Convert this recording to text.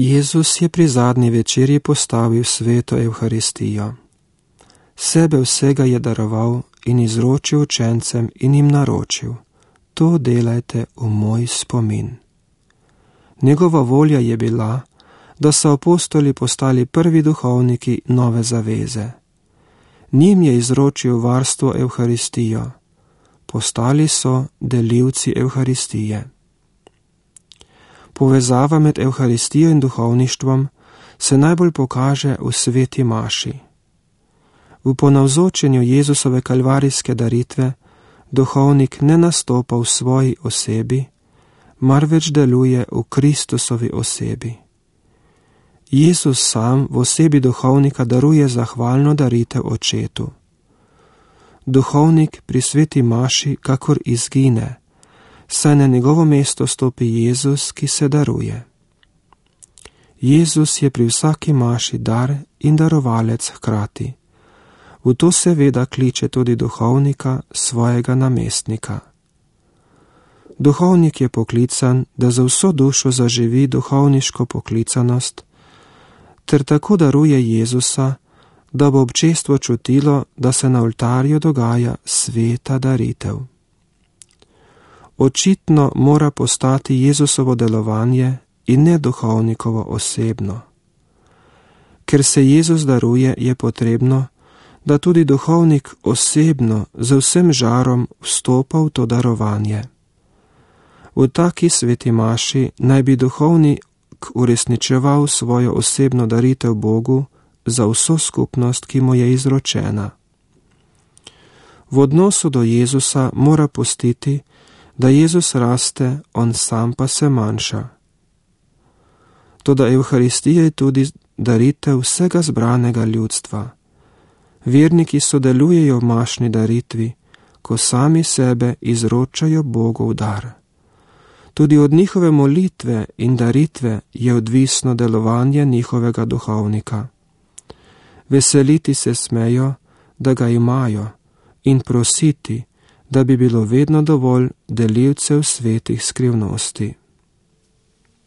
Jezus je pri zadnji večerji postavil sveto Evharistijo. Sebe vsega je daroval in izročil učencem in jim naročil: to delajte v moj spomin. Njegova volja je bila, da so apostoli postali prvi duhovniki nove zaveze. Njim je izročil varstvo Evharistijo. Postali so delivci Evharistije. Povezava med Evharistijo in duhovništvom se najbolj pokaže v sveti maši. V ponavzočenju Jezusove kalvarijske daritve duhovnik ne nastopa v svoji osebi, marveč deluje v Kristusovi osebi. Jezus sam v osebi duhovnika daruje zahvalno daritev Očetu. Duhovnik pri sveti maši kakor izgine, saj na njegovo mesto stopi Jezus, ki se daruje. Jezus je pri vsaki maši dar in darovalec hkrati. V to seveda kliče tudi duhovnika, svojega namestnika. Duhovnik je poklican, da za vso dušo zaživi duhovniško poklicanost, ter tako daruje Jezusa, da bo občestvo čutilo, da se na oltarju dogaja sveta daritev. Očitno mora postati Jezusovo delovanje in ne duhovnikovo osebno. Ker se Jezus daruje, je potrebno, da tudi duhovnik osebno z vsem žarom vstopa v to darovanje. V taki sveti maši naj bi duhovnik uresničeval svojo osebno daritev Bogu za vso skupnost, ki mu je izročena. V odnosu do Jezusa mora pustiti, da Jezus raste, on sam pa se manjša. Toda Evharistija je tudi daritev vsega zbranega ljudstva. Verniki sodelujejo v mašni daritvi, ko sami sebe izročajo Bogu v dar. Tudi od njihove molitve in daritve je odvisno delovanje njihovega duhovnika. Veseliti se smejo, da ga imajo, in prositi, da bi bilo vedno dovolj delivcev svetih skrivnosti.